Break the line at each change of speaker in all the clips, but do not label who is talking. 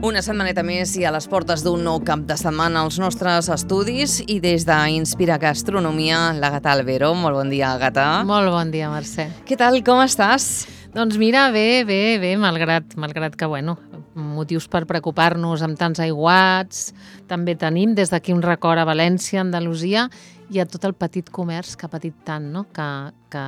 Una setmaneta més i a les portes d'un nou cap de setmana als nostres estudis i des d'Inspira Gastronomia, l'Agata Albero. Molt bon dia, Agata.
Molt bon dia, Mercè.
Què tal, com estàs?
Doncs mira, bé, malgrat que, motius per preocupar-nos amb tants aiguats, també tenim des d'aquí un record a València, Andalusia, i a tot el petit comerç que ha patit tant, no? Que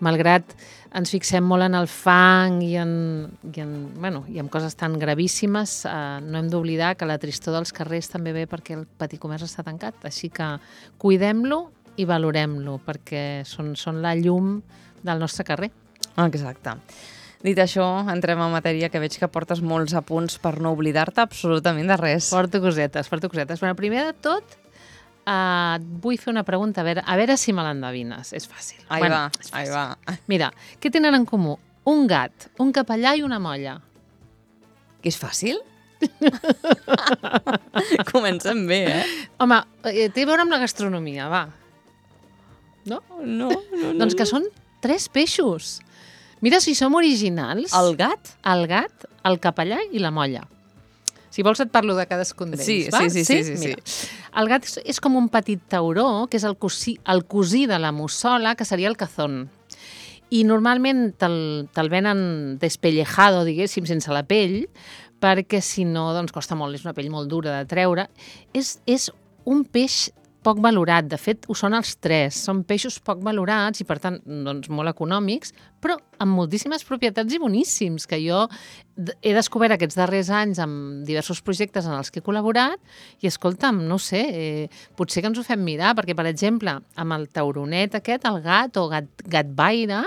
malgrat ens fixem molt en el fang i en coses tan gravíssimes, no hem d'oblidar que la tristor dels carrers també ve perquè el petit comerç està tancat. Així que cuidem-lo i valorem-lo, perquè són la llum del nostre carrer.
Exacte. Dit això, entrem en matèria, que veig que portes molts apunts per no oblidar-te absolutament de res.
Porto cosetes. Bueno, primer de tot, et vull fer una pregunta, a veure si me l'endevines. És fàcil.
Ahí va.
Mira, què tenen en comú? Un gat, un capellà i una molla.
Que és fàcil? Comencem bé,
Home, té a veure amb la gastronomia, va. No?
No.
Doncs que són 3 peixos. Mira si som originals.
El gat?
El gat, el capellà i la molla. Si vols et parlo de cadascun d'ells, va?
Sí.
Mira, el gat és com un petit tauró, que és el cosí de la mussola, que seria el cazón. I normalment te'l venen despellejado, diguéssim, sense la pell, perquè si no, doncs costa molt, és una pell molt dura de treure. És un peix poc valorat, de fet ho són els 3, són peixos poc valorats i per tant doncs, molt econòmics, però amb moltíssimes propietats i boníssims, que jo he descobert aquests darrers anys amb diversos projectes en els que he col·laborat i escolta'm, no sé, potser que ens ho fem mirar, perquè per exemple amb el tauronet aquest, el gat o gatbaire,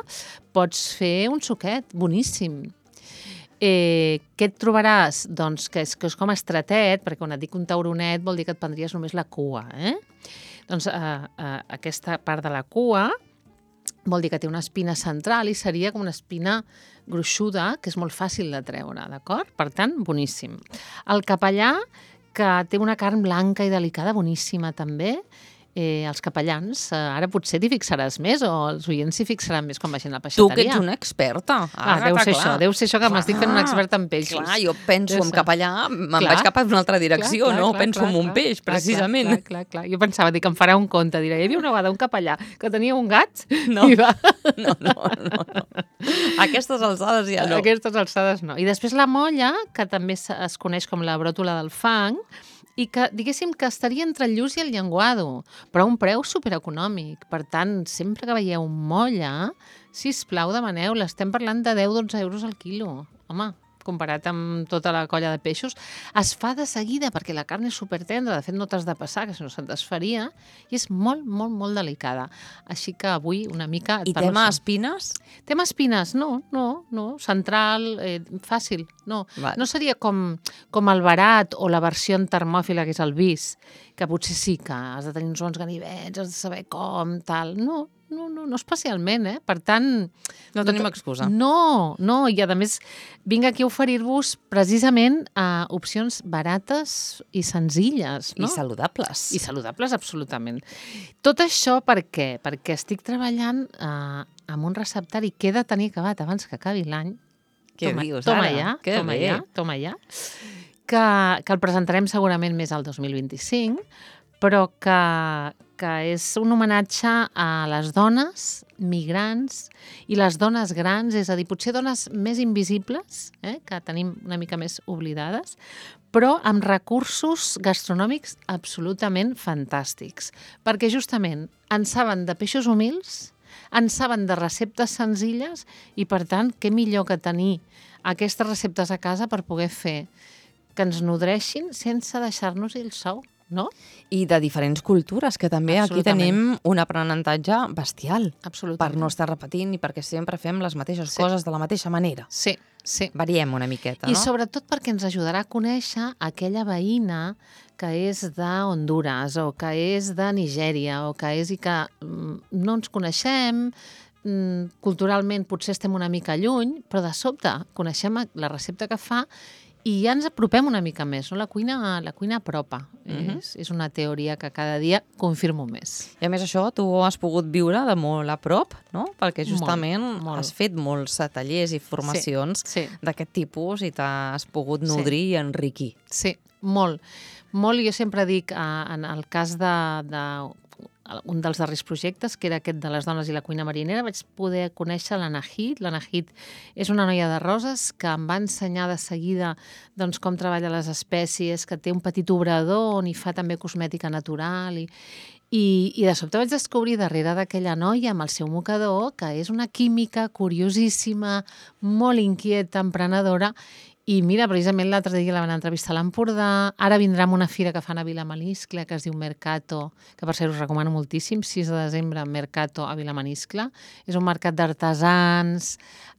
pots fer un suquet boníssim. Què et trobaràs? Doncs que és com estratet, perquè quan et dic un tauronet vol dir que et prendries només la cua. Doncs aquesta part de la cua vol dir que té una espina central i seria com una espina gruixuda, que és molt fàcil de treure, d'acord? Per tant, boníssim. El capellà, que té una carn blanca i delicada, boníssima també. Els capellans, ara potser t'hi fixaràs més o els oients s'hi fixaran més quan vagin a la peixateria.
Tu que ets una experta.
Deu ser això que m'estic fent una experta en peixos.
Clar, jo penso en capellà, vaig cap a una altra direcció, penso en un peix, precisament.
Clar. Jo pensava, em farà un conte, diré, hi havia una vegada un capellà que tenia un gat
No.
i va...
No. A aquestes alçades ja no.
A aquestes alçades no. I després la molla, que també es coneix com la bròtola del fang, i que, diguéssim, que estaria entre el lluç i el llenguado, però a un preu supereconòmic. Per tant, sempre que veieu molla, sisplau, demaneu, l'estem parlant de 10-12 euros al quilo. Home, comparat amb tota la colla de peixos, es fa de seguida perquè la carn és supertendra, de fet no t'has de passar, que si no se't desfaria, i és molt, molt, molt delicada. Així que avui una mica...
I tema espines?
Tema espines, no, central, fàcil, no.
Vale.
No seria com el barat o la versió termòfila, que és el bis, que potser sí que has de tenir uns bons ganivets, has de saber com, tal, no especialment, Per tant...
No tenim excusa.
No, i a més vinc aquí a oferir-vos precisament opcions barates i senzilles, no?
I saludables.
I saludables, absolutament. Tot això per què? Perquè estic treballant amb un receptari que he de tenir acabat abans que acabi l'any.
Què dius ara?
Toma ja. Que el presentarem segurament més al 2025, però que és un homenatge a les dones migrants i les dones grans, és a dir, potser dones més invisibles, que tenim una mica més oblidades, però amb recursos gastronòmics absolutament fantàstics, perquè justament en saben de peixos humils, en saben de receptes senzilles i, per tant, què millor que tenir aquestes receptes a casa per poder fer que ens nodreixin sense deixar-nos el sou, no?
I de diferents cultures, que també aquí tenim un aprenentatge bestial.
Absolutament.
Per no estar repetint i perquè sempre fem les mateixes coses de la mateixa manera.
Sí.
Variem una miqueta, no?
I sobretot perquè ens ajudarà a conèixer aquella veïna que és de Honduras o que és de Nigèria o que és i que no ens coneixem, culturalment potser estem una mica lluny, però de sobte coneixem la recepta que fa i ja ens apropem una mica més, no? La cuina apropa. És una teoria que cada dia confirmo més.
I a més això, tu has pogut viure de molt a prop, no? Perquè justament
molt.
has fet molts tallers i formacions d'aquest tipus i t'has pogut nodrir i enriquir.
Sí, molt. Molt, jo sempre dic, en el cas un dels darrers projectes, que era aquest de les dones i la cuina marinera, vaig poder conèixer l'Anahit. L'Anahit és una noia de Roses que em va ensenyar de seguida doncs, com treballa les espècies, que té un petit obrador on hi fa també cosmètica natural i de sobte vaig descobrir darrere d'aquella noia amb el seu mocador que és una química curiosíssima, molt inquieta, emprenedora. I mira, precisament l'altre dia la van entrevistar a l'Empordà, ara vindrà amb una fira que fan a Vilamaniscle, que es diu Mercato, que per cert us recomano moltíssim, 6 de desembre, Mercato a Vilamaniscle. És un mercat d'artesans,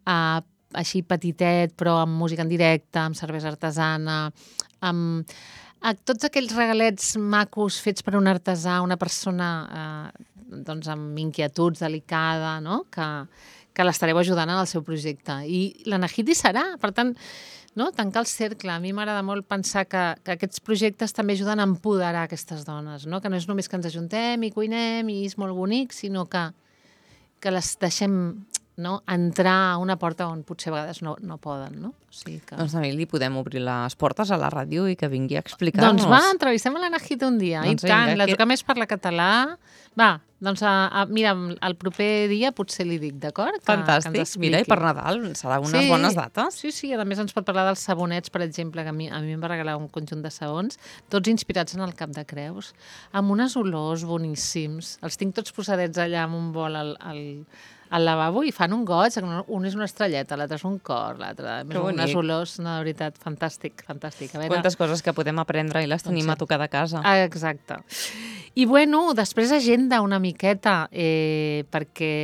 així petitet, però amb música en directe, amb cervesa artesana, amb tots aquells regalets macos fets per un artesà, una persona doncs amb inquietuds, delicada, no? que l'estareu ajudant en el seu projecte. I l'Anahit hi serà, per tant, no? Tancar el cercle. A mi m'agrada molt pensar que aquests projectes també ajuden a empoderar aquestes dones, no? Que no és només que ens ajuntem i cuinem i és molt bonic, sinó que les deixem entrar a una porta on potser a vegades no poden, no? O sigui que...
Doncs també li podem obrir les portes a la ràdio i que vingui a explicar-nos.
Doncs va, entrevistem a l'Anahit un dia. I tant, la truca més parla català. Va, doncs mira, el proper dia potser li dic, d'acord?
Fantàstic. Mira, i per Nadal serà unes bones dates.
Sí, a més ens pot parlar dels sabonets, per exemple, que a mi em va regalar un conjunt de sabons, tots inspirats en el Cap de Creus, amb unes olors boníssims. Els tinc tots posadets allà amb un bol al lavabo i fan un goig, un és una estrelleta, l'altre és un cor, l'altre unes olors, de veritat, fantàstic. A veure...
Quantes coses que podem aprendre i les tenim a tocar de casa.
Exacte. I bueno, després agenda una miqueta, perquè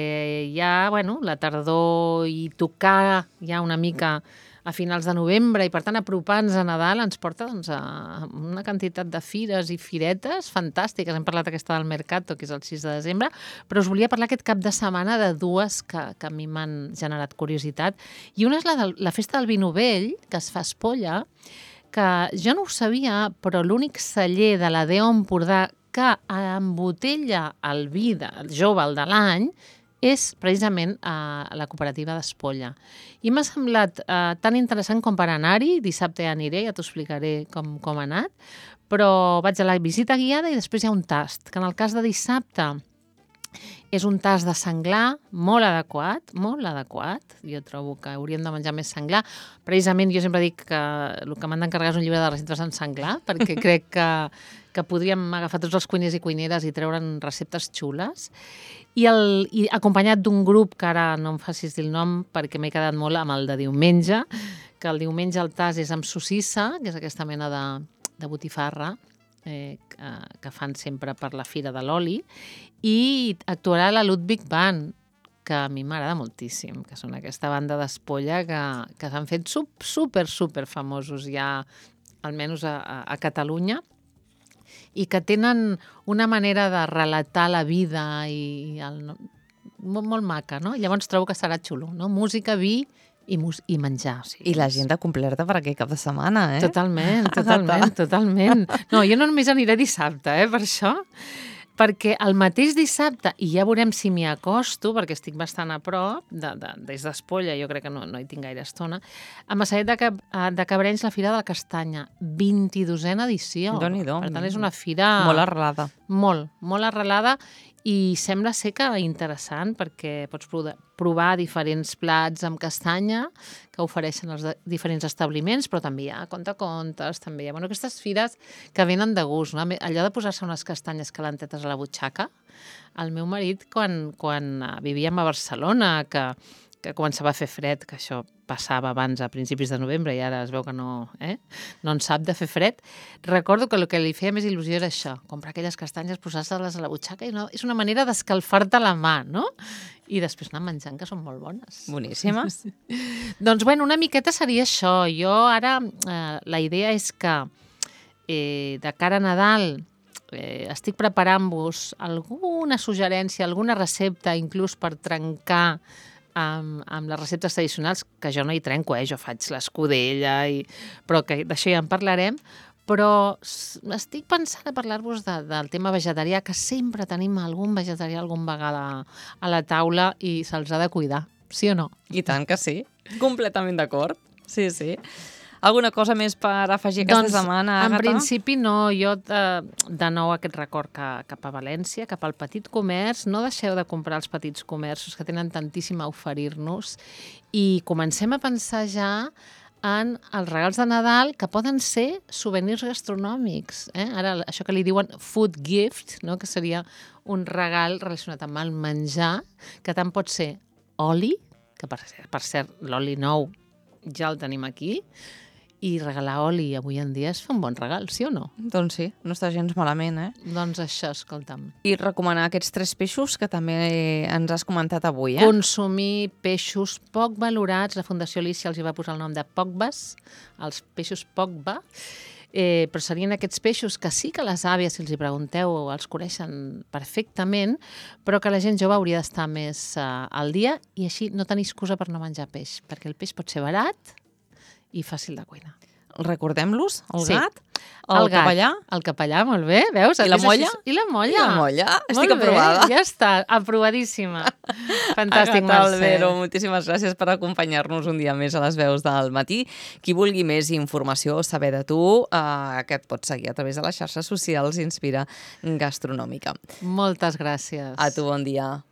ja, la tardor i tocar ja una mica a finals de novembre i, per tant, apropar-nos a Nadal ens porta a una quantitat de fires i firetes fantàstiques. Hem parlat aquesta del Mercato, que és el 6 de desembre, però us volia parlar aquest cap de setmana de dues que a mi m'han generat curiositat. I una és la festa del vi novell, que es fa a Espolla, que jo no ho sabia, però l'únic celler de la DEO Empordà que embotella el vi jove, el de l'any, és precisament a la cooperativa d'Espolla. I m'ha semblat tan interessant com per anar-hi. Dissabte ja aniré, ja t'ho explicaré com ha anat, però vaig a la visita guiada i després hi ha un tast, que en el cas de dissabte és un tast de senglar molt adequat. Jo trobo que hauríem de menjar més senglar. Precisament jo sempre dic que el que m'han d'encarregar és un llibre de receptes en senglar, perquè crec que podríem agafar tots els cuiners i cuineres i treure'n receptes xules. I acompanyat d'un grup, que ara no em facis dir el nom perquè m'he quedat molt amb el de diumenge, que el diumenge el tas és amb sossissa, que és aquesta mena de botifarra, que fan sempre per la Fira de l'Oli, i actuarà la Ludwig Band, que a mi m'agrada moltíssim, que són aquesta banda d'Espolla que s'han fet super famosos ja, almenys a Catalunya, i que tenen una manera de relatar la vida molt maca, no? Llavors trobo que serà xulo, no? Música, vi i menjar. O sigui,
I l'agenda completa per aquell cap de setmana, eh?
Totalment. No, jo no només aniré dissabte, per això, perquè el mateix dissabte, i ja veurem si m'hi acosto, perquè estic bastant a prop, des d'Espolla, jo crec que no hi tinc gaire estona, a Massanet de Cabrenys, la Fira de la Castanya, 22a edició.
Déu-n'hi-do.
Per tant, és una fira...
Molt arrelada.
Molt arrelada, i sembla ser que interessant, perquè pots provar diferents plats amb castanya que ofereixen els diferents establiments, però també hi ha contacontes, també hi ha aquestes fires que venen de gust, no? Allò de posar-se unes castanyes calentetes a la butxaca. El meu marit, quan vivíem a Barcelona, que començava a fer fred, que això passava abans a principis de novembre i ara es veu que no en sap de fer fred, recordo que el que li feia més il·lusió era això, comprar aquelles castanyes, posar-se-les a la butxaca, i és una manera d'escalfar-te la mà, no? I després anar menjant, que són molt bones.
Boníssimes.
Doncs, una miqueta seria això. Jo ara, la idea és que de cara a Nadal estic preparant-vos alguna suggerència, alguna recepta, inclús per trencar amb les receptes tradicionals, que jo no hi trenco, jo faig l'escudella, però que d'això ja en parlarem, però estic pensant a parlar-vos del tema vegetarià, que sempre tenim algun vegetarià algun vegada a la taula i se'ls ha de cuidar, sí o no?
I tant que sí, completament d'acord. Sí, sí. Alguna cosa més per afegir aquesta setmana, Àgata?
En principi no, jo de nou aquest record cap a València, cap al petit comerç, no deixeu de comprar els petits comerços que tenen tantíssim a oferir-nos i comencem a pensar ja en els regals de Nadal, que poden ser souvenirs gastronòmics. Ara, això que li diuen food gift, no? Que seria un regal relacionat amb el menjar, que tant pot ser oli, que per cert, l'oli nou ja el tenim aquí, i regalar oli avui en dia és fer un bon regal, sí o no?
Doncs sí, no està gens malament,
Doncs això, escolta'm.
I recomanar aquests 3 peixos que també ens has comentat avui,
Consumir peixos poc valorats. La Fundació Alícia els hi va posar el nom de POCBAs, els peixos POCBA, però serien aquests peixos que sí que les àvies, si els hi pregunteu, els coneixen perfectament, però que la gent jove hauria d'estar més al dia i així no tenir excusa per no menjar peix, perquè el peix pot ser barat i fàcil de cuinar.
Recordem-los, el
Sí.
gat, el capellà.
El capellà, molt bé, veus?
I la molla?
I la molla.
I la molla, estic
Molt bé,
aprovada.
ja està, aprovadíssima. Fantàstic,
Àgata
Mercè.
Albero, moltíssimes gràcies per acompanyar-nos un dia més a les veus del matí. Qui vulgui més informació, saber de tu, que et pots seguir a través de les xarxes socials Inspira Gastronòmica.
Moltes gràcies.
A tu, bon dia.